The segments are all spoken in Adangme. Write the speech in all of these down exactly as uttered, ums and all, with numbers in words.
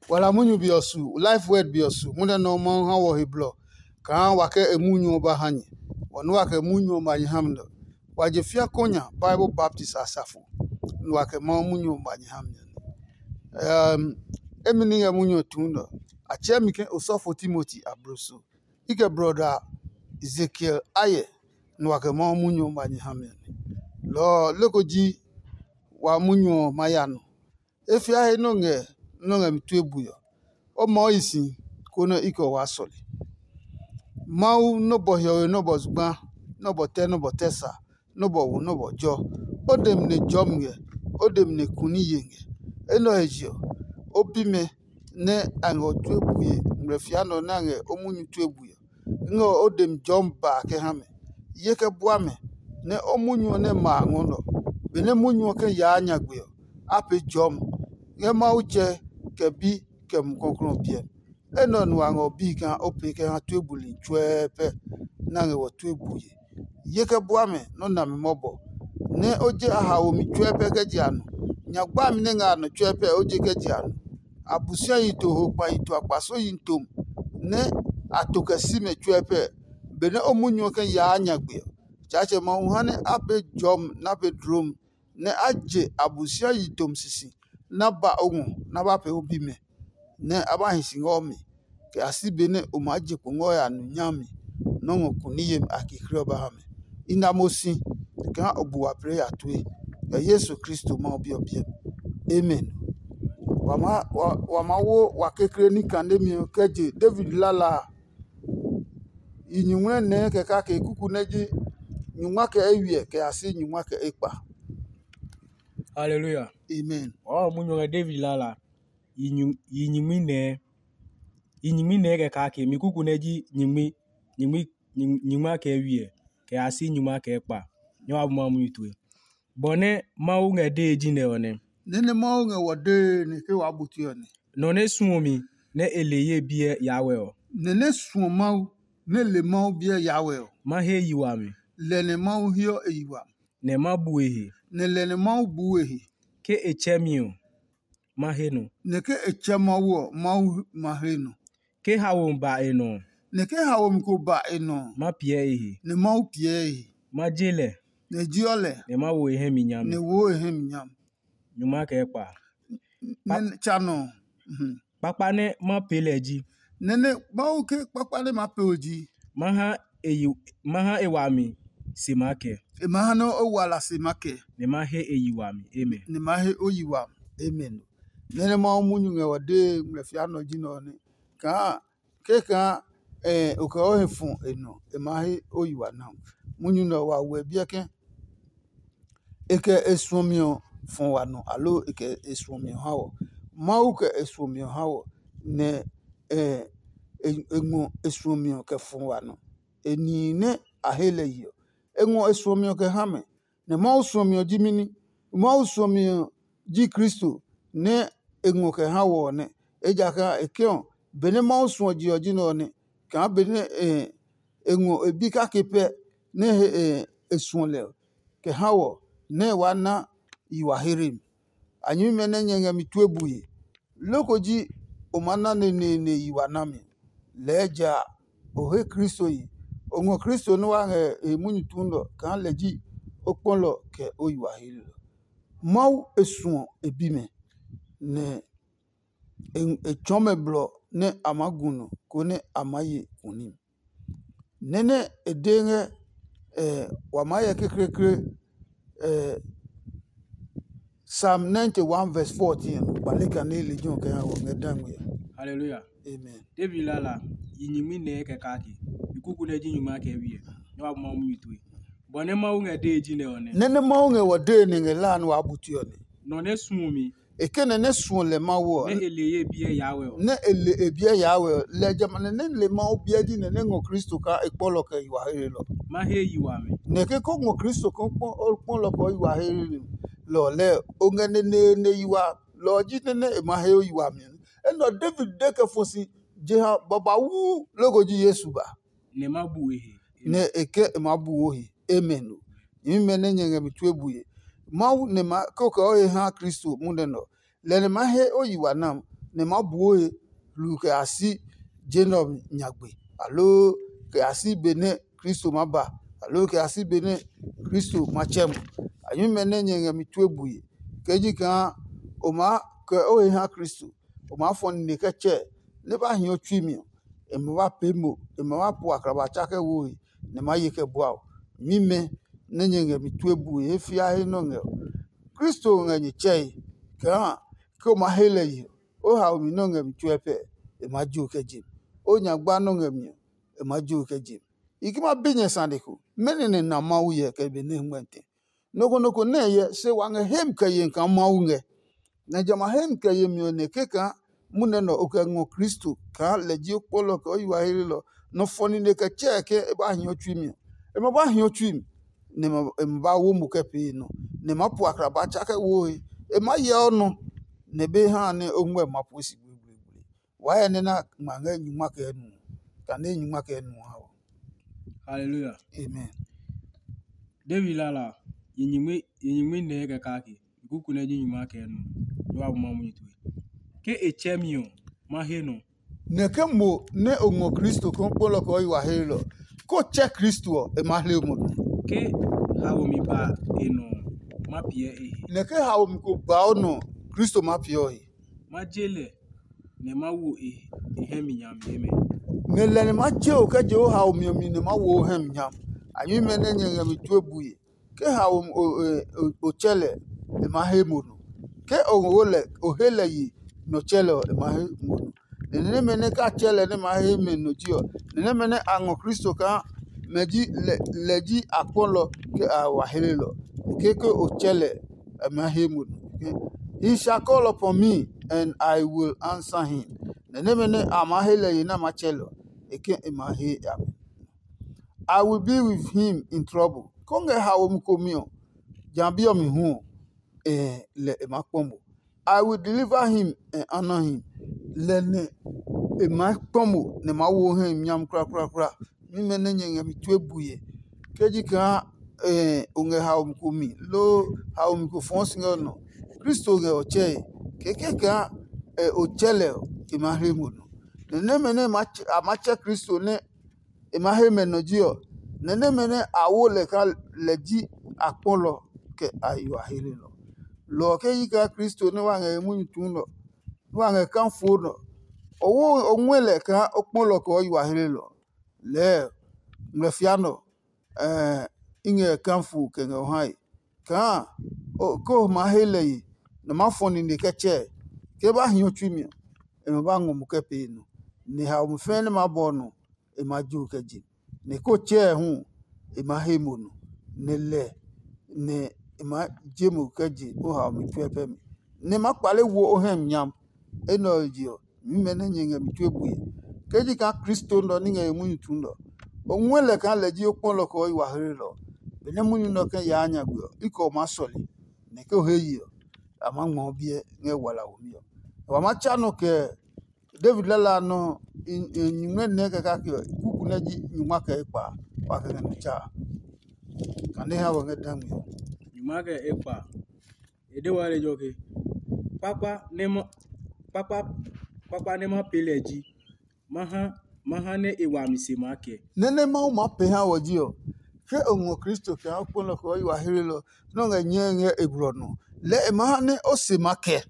Wa la munyu be ɔ su, Life Word be ɔ su, munyu nɛ Mawu ha wɔ he blɔ kaa wa kɛ e munyu ɔ ba ha nyɛ. Wɔ nɛ wa kɛ munyu ɔ ma nyɛ ha mi nɛ. Wa je fia konya Bible Baptist asafo, nɛ wa kɛ Mawu munyu ɔ ma nyɛ ha mi nɛ. Emi ní ngɛ munyu ɔ tuu nɛ. A tsɛɛ mi ke osɔfo Timoti abloso. I kɛ brɔda Ezekiel ayɛ, nɛ wa kɛ Mawu munyu ɔ ma nyɛ ha mi nɛ. Lɔ ɔ, loko ji wa munyu ɔ ma ya nɔ. E fia he nɛ o ngɛ nɛ o ngɛ mi tue bui ɔ, o maa o yi si, konɛ i kɛ o waa sɔle. Mawu nɔ́ bɔ hiɔwe nɔ́ bɔ zugba, nɔ́ bɔ tɛ nɔ́ bɔ tɛ sa, nɔ́ bɔ wo nɔ́ bɔ jɔ. O demi nɛ jɔmi ngɛ, o demi nɛ kuni ye ngɛ. Enɛ ɔ he je ɔ, o bimɛ nɛ a ngɛ o tue bue ngmlɛ fia nɛ ɔ nɛ a ngɛ o munyu tue bue ɔ, ngɛ o demi jɔmi ba kɛ ha mɛ. Ye kɛ bua mɛ, nɛ o munyu ɔ nɛ ma a ngɔ nɛ ɔ. Benɛ munyu ɔ kɛ yaa nyagbe ɔ, a pee jɔmi ngɛ Mawu tsɛ kɛ Bi kɛ Mumi Klɔuklɔu ɔ biɛ mi. Enɛ ɔ nu a ngɛ o bii kaa o pee kɛ ha tue buli tsuɛɛ pɛ nɛ a ngɛ wɔ tue bue. Ye kɛ bua mɛ nɔ́ nami mɔbɔ, nɛ o je a haomi tsuɛɛ pɛ kɛ je a nɔ. Nya gbami nɛ ngɛ a nɔ tsuɛɛ pɛ o je kɛ je a nɔ. Abosiayi to ho kpahi to akpasoyi tom nɛ a to kɛ si mɛ tsuɛɛ pɛ, benɛ o munyu ɔ kɛ yaa nyagbe ɔ. Tsaatsɛ Mawu ha nɛ a pee jɔmi nɛ a pee dloomi, nɛ a je Abosiayi tom sisi nɛ a ba o ngɔ nɛ a ba pee o bimɛ, nɛ a ba hi si ngɛ o mi, kɛ ya si benɛ o maa je kpo ngɛ o ya nu nyami nɔ́ ngɔ kuni yemi a kekle ɔ ba ha mɛ. I na mo si kaa o bu wa plɛ ya tue, kɛ Yesu Kristo Mawu Bi ɔ biɛ mi. Amen. Wa maa wo wa kekle ní kanemi ɔ kɛ je David lala a. I nyuŋmlɛ nɛɛ kɛ kake kuku nɛ ji nyungma kɛ eywiɛ kɛ ya si nyungma kɛ ekpa. Haleluya. Amen. Wɔɔ munyu ngɛ David lala. Yi nyu- yi nyingmi nɛɛ. Yi nyingmi nɛɛ kɛ kake mi kuku nɛ ji nyingmi nyingmi nyingma kɛ eywiɛ kɛ ya si nyungma kɛ ekpa. Nyɛ wa bu ma munyu tue. Bɔ nɛ Mawu ngɛ dee ji nɛ ɔ nɛ. Nɛ nɛ Mawu ngɛ wɔ dee nɛ ke waa bu tue ɔ nɛ. Nɔ nɛ suɔ mi nɛ e le ye biɛ ya wɛ ɔ. Nɛ nɛ suɔ Mawu nɛ le Mawu biɛ ya wɛ ɔ. Ma he yi wami. Lɛ nɛ Mawu heɔ e yi wami. Nɛ ma bu e he. Nɛ lɛ nɛ Mawu buu e he. Ke e tsɛ mi ɔ, ma he nɔ. Nɛ ke e tsɛ Mawu ɔ, Mawu ma he nɔ. Ke haomi ba e nɔ ɔ. Nɛ ke haomi ko ba e nɔ ɔ, ma piɛ e he. Nɛ Mawu piɛ e he. Ma je lɛ. Nɛ e jeɔ lɛ. Nɛ ma wo e hɛ mi nyami. Nɛ e woo e hɛ mi nyami. Nyuma kɛ kpa. Nɛ tsa nɔ ɔ. Kpakpa nɛ ma pee lɛ ji. Nɛ nɛ Mawu ke kpakpa nɛ ma pee o ji. Ma ha e yi ma ha e wami se ma kɛ. E ma ha nɛ o wa la se ma kɛ. Nɛ ma he e yi wami. Amen. Nɛ ma he o yi wami. Amen. Nɛ nɛ Mawu munyu ngɛ wa dee ngmlɛ fia nɔ ji nɛ ɔ nɛ kaa kɛkaa o kɛ o he fɔ e nɔ e ma he o yi wa na. Munyu nɛ ɔ wa wɛ biɛ kɛ e kɛ e suɔmi ɔ fɔ wa nɔ aloo e kɛ e suɔmi ɔ ha wɔ. Mawu kɛ e suɔmi ɔ ha wɔ nɛ e ngɔ e suɔmi ɔ kɛ fɔ wa nɔ. E nihi nɛ a he lɛ yi ɔ, e ngɔ e suɔmi ɔ kɛ ha mɛ. Nɛ Mawu suɔmi ɔ ji mɛni? Mawu suɔmi ɔ ji Kristo nɛ e ngɔ kɛ ha wɔ ɔ nɛ. Ejakaa e ke ɔ, benɛ Mawu suɔ je ɔ ji nɛ ɔ nɛ, kaa benɛ e ngɔ e bi kake pɛ nɛ e suɔ lɛ ɔ, kɛ ha wɔ nɛ e waa na yi wa here mi. A nyɛmimɛ nɛ nyɛ ngɛ mi tue bue. Loko ji o maa na neneene yi wa nami. Lɛɛ ja o he Kristo yi. O ngɔ Kristo nɛ wa ngɛ e he munyu tuu nɛ ɔ kaa lɛ ji o kpɔlɔ kɛ o yi wa heli ɔ. Mawu e suɔ e bimɛ, nɛ e tsɔɔ mɛ blɔ nɛ a maa gu nɔ, konɛ a maa ye kuni. Nɛ nɛ e de ngɛ wa maa hyɛ kekleekle Psalm ninety-one verse fourteen ɔ, kpale kane lejɛ ɔ kɛ ha wɔ ngɛ dangme ɔ. Hallelujah. Amen. David lala yi nyingmi nɛɛ kɛ kake. Mi kuku nɛ ji nyingma kɛ wiɛ. Nyɛ wa bu Mawu munyu tue. Bɔ nɛ Mawu ngɛ dee ji nɛ ɔ nɛ. Nɛ nɛ Mawu ngɛ wɔ dee nɛ ngɛ la nɛ wa bu tue ɔ nɛ. Nɔ nɛ suɔ mi. E kɛ nɛ nɛ suɔ lɛ Mawu ɔ. Nɛ e le ye biɛ ya wɛ ɔ. Nɛ e le e biɛ ya wɛ ɔ, lɛ jamɛ nɛ nɛ le Mawu biɛ ji nɛ nɛ ngɔ Kristo kaa e kpɔlɔ kɛ yi wa he lɔ. Ma he yi wami. Nɛ ke ko ngɔ Kristo kaa kpɔlɔ kɛ yi wa he lɔ lɛ o ngɛ neneene yi wa lɔ ɔ ji nɛ nɛ e ma he o yi wami. Enɛ ɔ David de kɛ fɔ si jeha babauu loko ji Yesu ba. Nɛ ma bu e he. Nɛ e kɛ e maa bu wo he. Amen o. Nyɛmimɛ nɛ nyɛ ngɛ mi tue bue. Mawu nɛ ma kɛ o kɛ o he ha Kristo munɛ nɛ ɔ, lɛ nɛ ma he o yi wa nam. nɛ ma buo he hluu kɛ ya si je nɛ ɔ nyagbe, aloo kɛ ya si benɛ Kristo maa ba, aloo kɛ ya si benɛ Kristo ma tsɛ mo. Anyuimɛ nɛ nyɛ ngɛ mi tue bue, kɛ ji kaa o maa kɛ o he ha Kristo, o maa fɔ nine kɛ tsɛ nɛ ba hio tsui mi ɔ, e ma ba pee mo, e ma ba po akraba tsa kɛ woe, nɛ ma ye kɛ bua o. Mimɛ nɛ nyɛ ngɛ mi tue bue he fia he nɔ ngɛ ɔ, Kristo ngɛ nyɛ tsɛe kaa ke o ma he lɛ yi ɔ, o haomi nɔ ngɛ mi tsuɛ pɛ, e maa jo kɛ je mi. O nyagba nɔ ngɛ mi ɔ, e maa jo kɛ je mi. I ke ma bi nyɛ sane ko, mɛnɔ nɛ na Mawu hyɛ kɛ be nɛ ngmɛtɛ? Nɔ ko nɔ ko nɛ hyɛ, se wa ngɛ hemi kɛ yemi kaa Mawu ngɛ. Nɛ jamɛ a hemi kɛ yemi ɔ nɛ kɛkaa munɛ nɛ o kɛ ngɔ Kristo kaa lɛ ji o kpɔlɔ kɛ o yi wa heelelɔ, nɔ fɔ nine kɛ tsɛɛ ke e ba hia o tsui mi ɔ, e ma ba hia o tsui mi, nɛ e ma ba wo mo kɛ pee nɔ, nɛ e maa pu akraba tsa kɛ woe. E maa hyɛ o nɔ, nɛ be ha nɛ o ngmɛ ma pue si gblegbleegble. Waa hyɛ nɛ na ngma ngɛ nyuma kɛ nu, kane nyuma kɛ nu ha ɔ. Haleluya. Amen. David lala a, yi nyingmi yi nyingmi nɛɛ kɛ kake, kuku nɛ ji nyuma kɛ nu, nɛ wa bu ma munyu tue. Ke e tsɛ mi ɔ, ma he nɔ. Nɛ ke mo nɛ o ngɔ Kristo kaa o kpɔlɔ kɛ o yi wa heelɔ, ko tsɛ Kristo ɔ, e ma hle mo nɔ. Ke haomi ba e nɔ ɔ, ma piɛ e he. Nɛ ke haomi ko ba o nɔ, Kristo ma piɛ o he. Ma je lɛ, nɛ ma wo e e hɛ mi nyami yemɛ. Nɛ lɛ nɛ ma je o kɛ je o haomi ɔ mi nɛ ma wo o hɛ mi nyam. A nyuimɛ nɛ nyɛ ngɛ mi tue bue. Ke haomi o tsɛ lɛ, e ma he mo nɔ. Ke o wo lɛ o he lɛ yi nɔ tsɛ lɛ ɔ, e ma he mo nɔ. Nɛ nɛmɛ nɛ ka tsɛ lɛ nɛ ma he mɛ nɔ ji ɔ, nɛ nɛmɛ nɛ a ngɔ Kristo kaa mɛ ji lɛ ji akpɔlɔ kɛ a wa helelɔ. Keke o tsɛ lɛ, e ma he mo nɔ. He shall call upon me, and I will answer him. Nɛ nɛmɛ nɛ a maa he lɛ ye nɛ a maa tsɛ lɛ ɔ, e ke e ma he a mi. I will be with him in trouble. Kɔngɛ haomi ko mi ɔ, ja bi ɔ mi hu ɔ, eh, lɛ e maa kpɔ mo. I will deliver him and honor him. Lɛ nɛ e maa kpɔ mo nɛ maa wo hɛ nyam kura kura kura. Mimɛ nɛ nyɛ ngɛ mi tue bue. Ke ji kaa eh, o ngɛ haomi ko mi loo haomi ko fɔɔ si ngɛ o nɔ, Kristo ngɛ o tsɛe. Kɛkɛ kaa eh, o tsɛ lɛ ɔ, e ma hle mo nɔ. Nɛ nɛmɛ nɛ a ma tsɛ Kristo nɛ e ma he mɛ nɔ ji ɔ, nɛ nɛmɛ nɛ a wo lɛ kaa lɛ ji akpɔlɔ kɛ a yi wa helelɔ. Lɔ ɔ ke yi kaa Kristo nɛ wa ngɛ he munyu tuu nɔ, nɛ wa ngɛ kafoo nɔ, o wo o ngɔɛ lɛ kaa o kpɔlɔ kɛ o yi wa helelɔ. Lɛɛ ngmlɛfia nɔ i ngɛ kafo kɛ ngɛ o hae kaa ke o maa he lɛ yi nɛ o maa fɔ nine kɛ tsɛɛ. Ke ba hi o tsui mi ɔ, e ma ba ngɔ mo kɛ pee nɔ, nɛ haomi fɛɛ nɛ maa bɔ ɔ nɔ, e ma jo kɛ je. Nɛ ke o tsɛɛ hu, e ma he mo nɔ, nɛ lɛ nɛ e ma je mo kɛ je o haomi tsuɛ pɛ mi, nɛ ma kpale wo o hɛ mi nyam. Enɛ ɔ je ɔ, nyumu nɛ nyɛ ngɛ mi tue bue. Ke ji kaa Kristo nɛ ɔ ní ngɛ e munyu tuu nɛ ɔ, o ngɔɛ lɛ kaa lɛ ji o kpɔlɔ kɛ o yi wa hlelɔ. Benɛ munyu nɛ ɔ kɛ yaa nyagbe ɔ, i kɛ o maa sɔle, nɛ ke o he ye ɔ, a maa ngma o biɛ ngɛ wala womi ɔ. Wa maa tsa nɔ kɛ David lala a nɔ nyumu nɛ nɛ kɛ kake ɔ, kuku nɛ ji nyuma kɛ ekpa wa kɛ ngɛ nɔ tsa a. Kane ha wɔ ngɛ dangmi ɔ. Nyuma kɛ ekpa. E de wa lejɛ ɔ ke, kpakpa nɛ ma kpakpa kpakpa nɛ ma pee lɛ ji, ma ha ma ha nɛ e wami se maa kɛ. Nɛ nɛ Mawu maa pee ha wɔ ji ɔ, ke o ngɔ Kristo kɛ ha kpɔlɔ kɛ o yi wa hlelɔ nɛ o ngɛ nyɛe ngɛ e blɔ nɔ, lɛɛ e ma ha nɛ o se ma kɛ.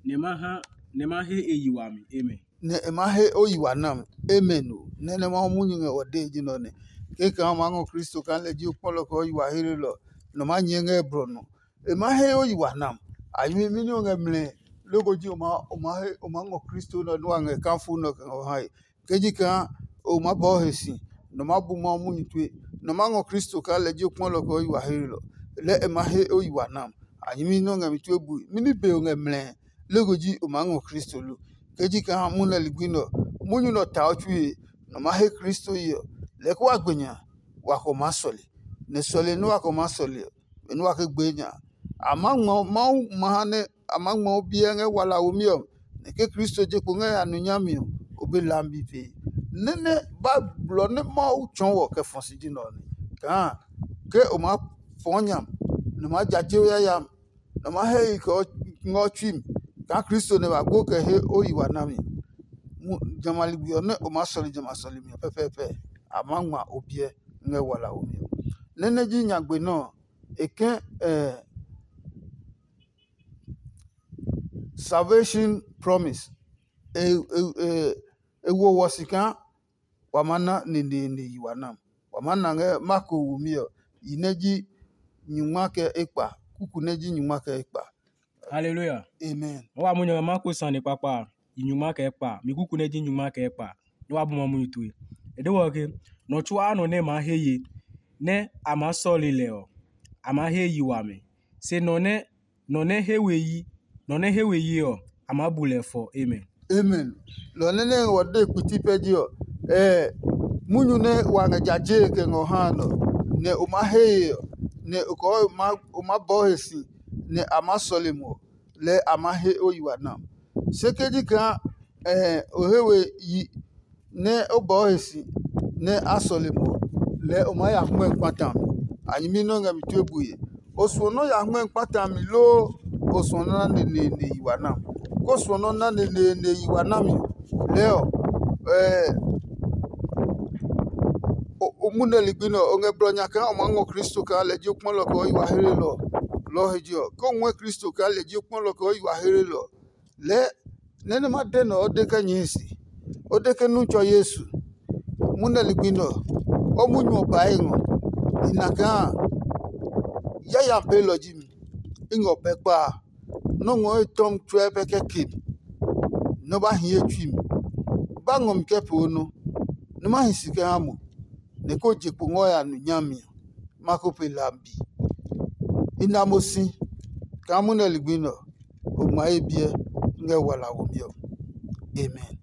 Nɛ ma ha nɛ ma he e yi wami. Amen. Nɛ e ma he o yi wa nam. Amen o. Nɛ nɛ Mawu munyu ngɛ wɔ dee ji nɔ nɛ. Kekã o maa ngɔ Kristo kaa lɛ ji o kpɔlɔ kɛ o yi wa hlelɔ nɔ ma nyɛɛ ngɛ e blɔ nɔ. E ma he o yi wa nam. A nyumu mi nɛ o ngɛ mlɛ loko ji o ma o ma he o ma ngɔ Kristo nɔ nɛ wa ngɛ kafo nɔ kɛ ngɛ o hae. Ke ji kaa o maa bɔɔ he si, nɔ maa bu Mawu munyu tue, nɔ maa ngɔ Kristo kaa lɛ ji o kpɔlɔ kɛ o yi wa hlelɔ, lɛɛ e ma he o yi wa nam. A nyɛmi nɛ o ngɛ mi tue bue, mɛni be o ngɛ mlɛɛ? Loko ji o maa ngɔ Kristo lo? Ke ji kaa munyu nɛ ligbi nɛ ɔ, munyu nɛ ɔ ta o tsue, nɔ maa he Kristo ye ɔ, lɛɛ ke wa gbe nya, wa kɛ o maa sɔle. Nɛ sɔle nɛ wa kɛ o maa sɔle ɔ, benɛ wa ke gbee nya a. A maa ngma Mawu ma ha nɛ a maa ngma o biɛ ngɛ wala womi ɔ, nɛ ke Kristo je kpo ngɛ ya nu nyami ɔ, o be lambi pee. Nɛ́ nɛ ba blɔ nɛ Mawu tsɔɔ wɔ kɛ fɔ si ji nɛ ɔ nɛ. Kaa ke o maa fɔɔ nya, nɛ o maa ja je o yayami, nɛ o maa he yi kɛ o ngɛ o tsui mi, kaa Kristo nɛ ba gbo kɛ he o yi wa nami. Jamɛ a ligbi ɔ nɛ o maa sɔle jamɛ a sɔlemi ɔ pɛpɛɛpɛ, a maa ngma o biɛ ngɛ walaomi ɔ. Nɛ nɛ ji nyagbe nɛ ɔ, e kɛ salvation promise. E wo wɔ si kaa wa maa na neneene yi wa nam. Wa maa na ngɛ Marko womi ɔ, yi nɛ ji nyingma kɛ ekpa, kuku nɛ ji nyingma kɛ ekpa. Haleluya. Amen. Wa wa munyu ɔ ngɛ Marko sane kpakpa a, yi nyingma kɛ ekpa, mi kuku nɛ ji nyingma kɛ ekpa, nɛ wa bu ma munyu tue. E de wɔ ke, nɔ tsuaa nɔ nɛ maa he ye, nɛ a maa sɔle lɛ ɔ, a maa he yi wami. Se nɔ nɛ nɔ nɛ he we yi, nɔ nɛ he we yi ɔ, a maa bu lɛ fɔ. Amen. Amen. Lɔ nɛ nɛ ngɛ wɔ de kpiti pɛ ji ɔ, ɛɛ munyu nɛ wa ngɛ jaje kɛ ngɔ ha nɔ, nɛ o maa he ye ɔ, nɛ o kɔɔ o maa bɔɔ he si, nɛ a maa sɔle mo, lɛɛ a maa he o yi wa na. Se ke ji kaa ɛɛ o he we yi nɛ o bɔɔ he si nɛ a sɔle mo, lɛɛ o maa ya hmɔɛ kpata mi. A nyɛmi nɔ́ ngɛ mi tue bue. O suɔ nɔ́ ya hmɔɛ kpata mi loo o suɔ nɔ́ na neneene yi wa na? Ko suɔ nɔ́ na neneene yi wa nami ɔ, lɛɛ ɔ, ɛɛ o mu nɛ ligbi nɛ ɔ, o ngɛ blɔ nya kaa o maa ngɔ Kristo kaa lɛ ji o kpɔlɔ kɛ o yi wa hlelɔ. Lɔ ɔ he je ɔ, ke o ngɔɛ Kristo kaa lɛ ji o kpɔlɔ kɛ o yi wa hlelɔ ɔ, lɛɛ nɛ nɛ ma de nɛ o de kɛ nyɛɛ se. O de ke nu tsɔ Yesu. Mu nɛ ligbi nɛ ɔ, o munyu ɔ ba e ngɔ. I na kaa yayami peelɔ ji mi. I ngɔ pɛ kpa a, nɔ́ ngɔ e tɔmi tsuɛ pɛ kɛ ke mi, nɔ́ ba hi ye tsui mi. Ba ngɔ mi kɛ pee o nɔ, nɛ ma hi si kɛ ha mo, nɛ ko je kpo ngɔ ya nu nyami ɔ, ma ko pe lambi. I na mo si kaa munɛ ligbi nɛ ɔ, o ngma ye biɛ ngɛ wala womi ɔ. Amen.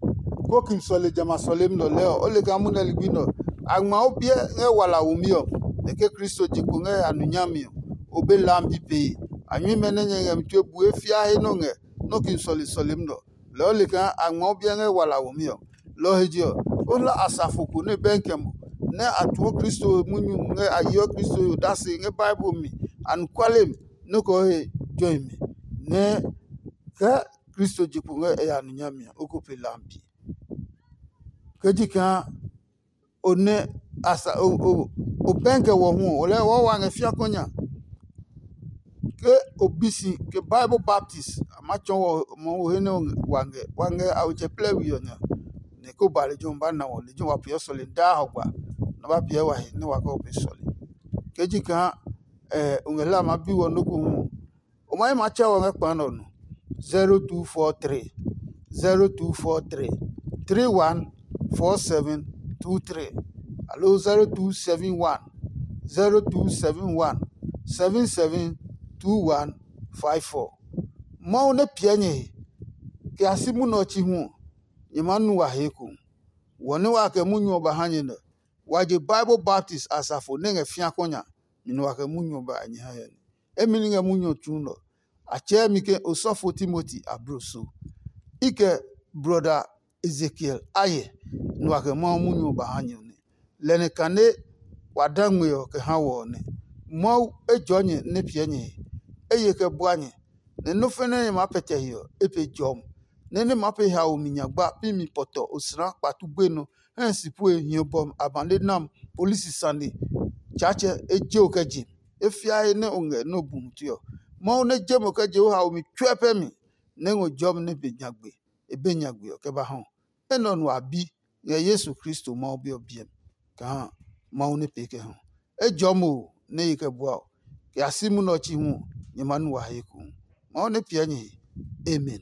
Ko kin sɔle jamɛ a sɔlemi nɛ ɔ lɛɛ ɔ, o le kaa munɛ ligbi nɛ ɔ, a ngma o biɛ ngɛ wala womi ɔ, nɛ ke Kristo je kpo ngɛ ya nu nyami ɔ, o be lambi pee. A nyuimɛ nɛ nyɛ ngɛ mi tue bue fia he nɔ ngɛ nɔ́ kin sɔle sɔlemi nɛ ɔ, lɛɛ o le kaa a ngma o biɛ ngɛ wala womi ɔ. Lɔ ɔ he je ɔ, o hla asafo ko nɛ bɛnkɛ mo, nɛ a tuɔ Kristo he munyu ngɛ a yeɔ Kristo he odase ngɛ Bible mi anɔkuale mi nɔ́ kɛ o he jɔmi, nɛ kɛ Kristo je kpo ngɛ e ya nu nyami ɔ, o ko pe lambi. Ke ji kaa o nɛ a sa o o o pɛnkɛ wɔ hu ɔ, o lɛɛ wɔɔ wa ngɛ fiakɔ nya. Ke o bi si ke Bible baptist a ma tsɔɔ wɔ mɔ wo he nɛ wa ngɛ wa ngɛ a otsɛ plɛ we ɔ nya, nɛ ko ba lejɛ ɔ ba na wɔ lejɛ wa peeɔ sɔle daa hɔgba, nɛ ba piɛ wa he nɛ wa kɛ o pe sɔle. Ke ji kaa o ngɛ hlaa ma bi wɔ nɔ́ ko hu ɔ, o ma yi ma tsɛ wɔ ngɛ kpa nɛ ɔ nɔ. Zero two four three, zero two four three, three one four seven two three, alo zero two seven one, zero two seven one, seven seven two one five four. Mawu nɛ piɛ nyɛ he kɛ a si munɛ ɔ chi hu ɔ, nyɛ maa nu wa he ekohu. Wɔ nɛ wa kɛ munyu ɔ ba ha nyɛ nɛ, wa je Bible baptist asafo nɛ ngɛ fiakɔ nya mi nɛ wa kɛ munyu ɔ ba nyɛ ha yɛ nɛ. Emi ni ngɛ munyu ɔ tsu nɛ ɔ, a tsɛɛ mi ke osɔfo Timoti abloso. I kɛ brɔda Ezekiel a hyɛ nɛ wa kɛ Mawu munyu ɔ ba ha nyɛ ɔ nɛ. Lɛ nɛ kane wa da ngmɛ ɔ kɛ ha wɔ ɔ nɛ. Mawu ejɔɔ nyɛ nɛ piɛ nyɛ he, eye kɛ bua nyɛ, nɛ nɔ́ fɛnɛ nɛ maa pɛtɛ he ɔ, e pe jɔmi, nɛ nɛ maa pe haomi nyagba pi mi pɔtɔ osla kpatu gbenɔ hɛ si pue hiɔ bɔmi abane nam polisi sane. Tsaatsɛ e je o kɛ je, e fiae nɛ o ngɛ nɛ o bu mute ɔ. Mawu nɛ je mo kɛ je o haomi tsuɛ pɛ mi, nɛ ngɔ jɔmi nɛ be nyagbe, e be nyagbe ɔ kɛ ba hɔ. Enɛ ɔ nu a bi ngɛ Yesu Kristo Mawu Bi ɔ biɛ mi, kaa Mawu nɛ pee kɛ hɔ. Ejɔmi o nɛ ye kɛ bua o, kɛ ya si munɛ ɔ chi hu ɔ, nyɛ ma nu wa he ekohu. Mawu nɛ piɛ nyɛ he. Amen.